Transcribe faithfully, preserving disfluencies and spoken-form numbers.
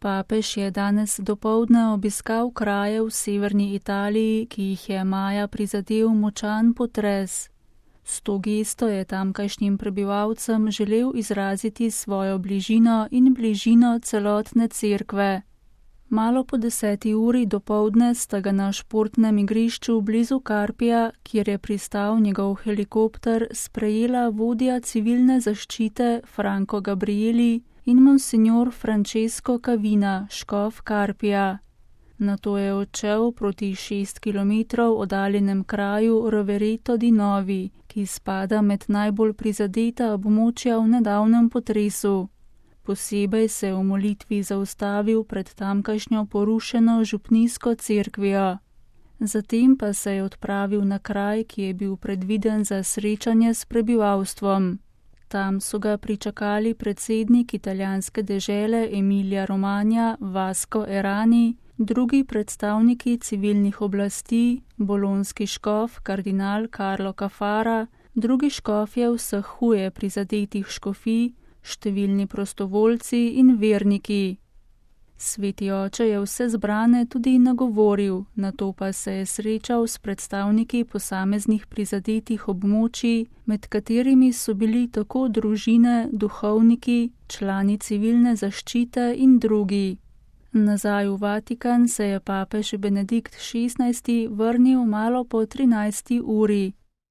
Papež je danes dopoldne obiskal kraje v severni Italiji, ki jih je maja prizadel močan potres. S to gesto je tamkajšnjim prebivalcem želel izraziti svojo bližino in bližino celotne cerkve. Malo po deseti uri dopoldne sta ga na športnem igrišču blizu Carpija, kjer je pristal njegov helikopter, sprejela vodja civilne zaščite Franco Gabrieli in monsignor Francesco Cavina, škof Carpija. Nato je odšel proti šest kilometrov oddaljenem kraju Rovereto di Novi, ki spada med najbolj prizadeta območja v nedavnem potresu. Posebej se je v molitvi zaustavil pred tamkajšnjo porušeno župnijsko cerkvijo. Zatem pa se je odpravil na kraj, ki je bil predviden za srečanje s prebivalstvom. Tam so ga pričakali predsednik italijanske dežele Emilia Romagna Vasco Errani, drugi predstavniki civilnih oblasti, bolonski škof kardinal Carlo Cafara, drugi škofje vseh huje prizadetih škofij, številni prostovoljci in verniki. Sveti oče je vse zbrane tudi nagovoril, nato pa se je srečal s predstavniki posameznih prizadetih območij, med katerimi so bili tako družine, duhovniki, člani civilne zaščite in drugi. Nazaj v Vatikan se je papež Benedikt šestnajsti vrnil malo po trinajsti uri.